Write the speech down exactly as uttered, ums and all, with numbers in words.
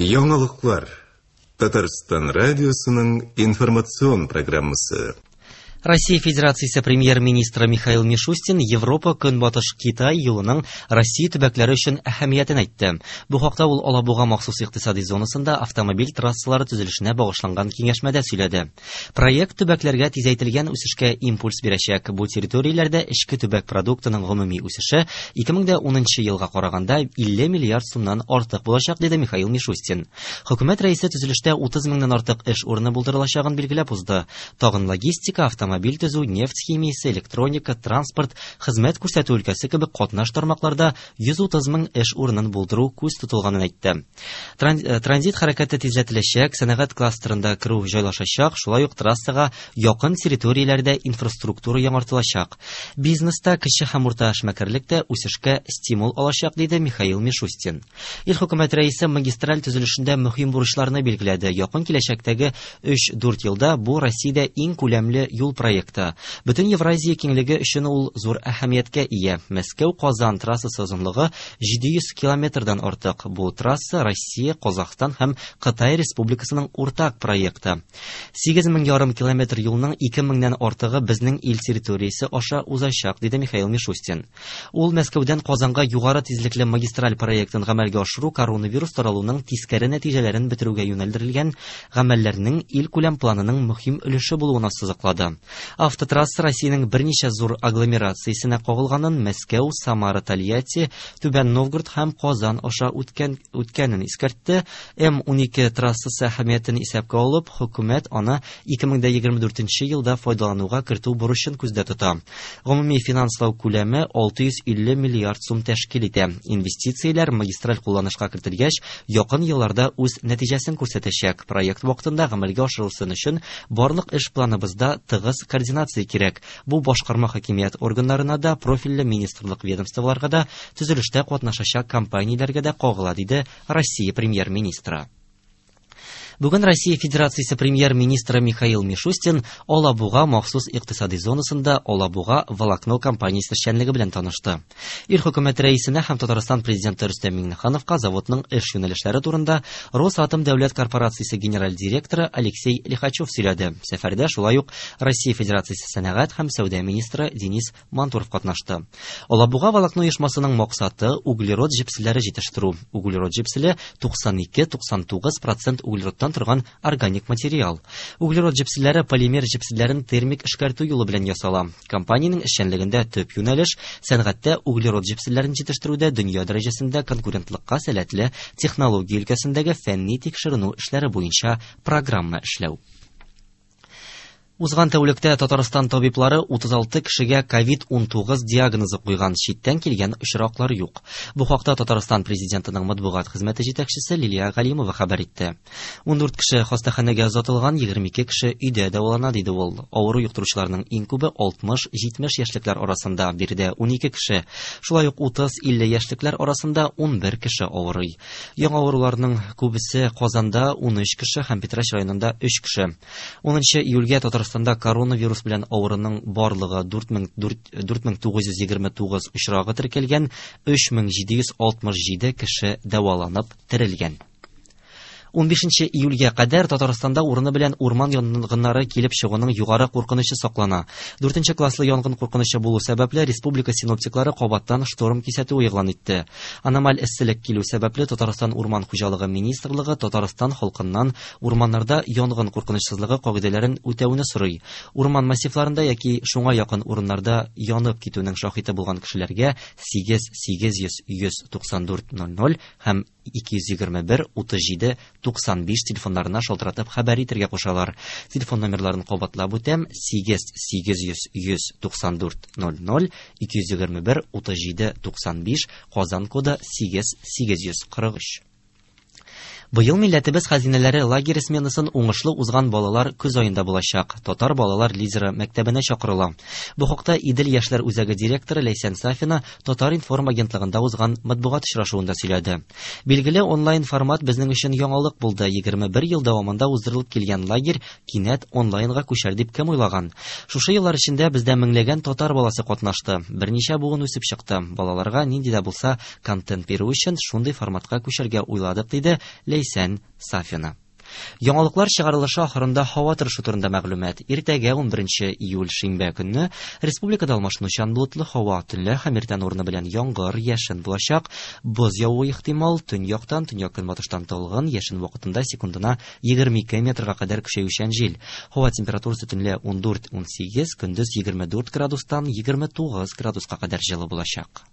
Яңалыклар. Татарстан радиосының информацион программасы. Россия Федерациясе премьер-министры Михаил Мишустин Европа Көнбатыш Китай юлының Россия төбәкләре өчен әһәмиятен әйтте. Бу хакта ул Алабуга махсус икътисади зонасында автомобиль трассалары төзелешенә багышланган киңәшмәдә сөйләде. Проект төбәкләргә тизәйтелгән үсешкә импульс бирәчәк. Бу территорияләрдә эчке төбәк продуктының гомуми үсеше ике мең дә унынчы елга караганда илле миллиард сумнан артык булачак, диде Михаил Мишустин. Хөкүмәт рәисе төзелештә утыз меңнән артык эш урыны булдырылачагын билгеләп узды. Тагын логистика, автомобиль автомобиль төзү, нефть химиясе, электроника, транспорт, хезмәт күрсәтү өлкәсе кебек катнаш тармакларда йөз утыз мең эш урынын булдыру күз тотылганын әйтте. Транзит хәрәкәте тизләтеләчәк, сәнәгать кластерында керү җайлашачак, шулай ук трассага якын территорияләрдә инфраструктура яңартылачак. Бизнеста кече һәм урта эшмәкәрлек тә үсешкә стимул алачак, диде Михаил Мишустин. Ил хөкүмәт рәисе магистраль төзелешендә мөһим бурычларны билгеләде. Якын киләчәктәге өч-дүрт елда бу Россиядә иң күләмле юл проекты. Бөтен Евразия киңлеге өчен ул зур әһәмияткә ия. Мәскәү-Казан трассасы озынлыгы җиде йөз километрдан артык. Бу трасса Россия, Казахстан һәм Кытай Республикасының уртак проекты. Сигез мең ярым километр юлның ике меңнән артыгы безнең ил территориясе аша узачак, диде Михаил Мишустин. Ул Мәскәүдән Казанга югары тизлекле магистраль проектын гамәлгә ашыру коронавирус таралуның тискәре нәтиҗәләрен бетерүгә юнәлдерелгән гамәлләрнең илкүләм планының мөһим өлеше булуын ассызыклады. Автотрасса Россиянең берничә зур агломерациясенә кагылганын Мәскәү, Самара, Тольятти, Түбән Новгород һәм Казан аша үткән, үткәнен искәртте. М унике трассасы әһәмиятен исәпкә алып, хөкүмәт аны ике мең дә егерме дүртенче елда файдалануга кертү бурычын күздә тота. Гомуми финанслау күләме алты йөз илле миллиард сум тәшкил итә. Инвестицияләр магистраль кулланышка кертелгәч, якын елларда үз нәтиҗәсен күрсәтәчәк. Проект вакытында гамәлгә ашырылсын өчен барлык эш планыбызда тыгыз координация кирәк. Бу башкарма хакимият органнарына да, профильле министрлык ведомстволарга да, төзелештә катнашачак компанияләргә дә кагыла, диде Россия премьер-министры. Бүген Россия Федерациясе премьер-министры Михаил Мишустин Алабуга махсус икътисади зонасында Алабуга волокно компаниясе эшчәнлеге белән танышты. Ил хөкүмәт рәисенә һәм Татарстан президенты Рөстәм Миңнехановка заводның эш юнәлешләре турында Росатом дәүләт корпорациясе генераль директоры Алексей Лихачев сөйләде. Сәфәрдә шулай ук Россия Федерациясе сәнәгать һәм сәүдә министры Денис Мантуров катнашты. Алабуга волокно оешмасының максаты углерод җепселләре җитештерү. Углерод җепселе туксан ике-туксан тугыз процент углеродтан торган органик материал. Углерод җепселләре полимер җепселләрен термик эшкәртү юлы белән ясала. Компаниянең эшчәнлегендә төп юнәлеш сәнәгатьтә углерод җепселләрен җитештерүдә дөнья дәрәҗәсендә конкурентлыкка сәләтле технология өлкәсендәге фәнни тикшеренү эшләре буенча программа эшләү. Узган тәүлектә Татарстан табиблары утыз алты кешегә ковид унтугыз диагнозы куйган, читтән килгән очраклар юк. Бу хакта Татарстан президентының матбугат хезмәте җитәкчесе Лилия Галимова хәбәр итте. Ундүрт кеше хастаханәгә озатылган, егерме ике кеше өйдә дәвалана, диде ул. Авыру йоктыручыларның иң күбе алтмыш-җитмеш яшьлекләр арасында, биредә унике кеше. Шулай ук утыз-илле яшьлекләр арасында унбер кеше авырый. Яңа авыруларның күбесе Казанда унөч кеше һәм Питрәч районында өч кеше. Унынчы июльгә Татарстан Татарстанда коронавирус белән авыруның барлыгы дүрт мең тугыз йөз егерме тугыз очрагы теркәлгән, өч мең җиде йөз алтмыш җиде кеше дәваланып терелгән. Унбишенче июльгә кадәр Татарстанда урыны белән урман янгыннары килеп чыгуның югары куркынычы саклана. Дүртенче класслы янгын куркынычы булу сәбәпле республика синоптиклары кабаттан шторм кисәтүе игълан итте. Аномаль эсселек килү сәбәпле Татарстан Урман хуҗалыгы министрлыгы Татарстан халкыннан урманнарда янгын куркынычсызлыгы кагыйдәләрен үтәүне сорый. Урман массивларында яки шуңа якын урыннарда янып китүнең шаһиты булган кешеләргә сигез сигез йөз йөз туксан дүрт ноль ноль һәм ике йөз егерме бер утыз җиде туксан биш телефоннарына шалтыратып хәбәр итәргә кушалар. Телефон номерларын кабатлап үтәм: сигез сигез йөз йөз туксан дүрт ноль ноль, ике йөз егерме бер утыз җиде туксан биш, Казан коды сигез сигез йөз кырык өч. Быел милләтебез хәзинәләре лагерь сменасын уңышлы узган балалар көз аенда булачак. Татар балалар лидеры мәктәбенә чакырыла. Бу хакта Идел яшьләр үзәге директоры Ләйсән Сафина Татар-информ агентлыгында узган матбугат очрашуында сөйләде. Билгеле, онлайн формат безнең өчен яңалык булды. Егерме бер ел дәвамында уздырылып килгән лагерь кинәт онлайнга күчәр дип кем уйлаган? Шушы еллар эчендә бездә меңләгән татар баласы катнашты. Берничә буын үсеп чыкты. Балаларга нинди дә булса контент бирү өчен шундый форматка күчәргә уйладык, диде Ләйсән Сафина. Яңалыклар чыгарылышы ахырында һава торышы турында мәгълүмат. Иртәгә унберенче июль шимбә көнне республикада алмашынучан болытлы һава, төнлә һәм иртән урыны белән яңгыр, яшен булачак. Боз явуы ихтимал, төньяктан, төньяк-көнбатыштан талгын, яшен вакытында секундына егерме ике метрга кадәр көчәючән җил. Һава температурасы төнлә ундүрт-унсигез, көндез егерме дүрт градустан егерме тугыз градуска кадәр җылы булачак.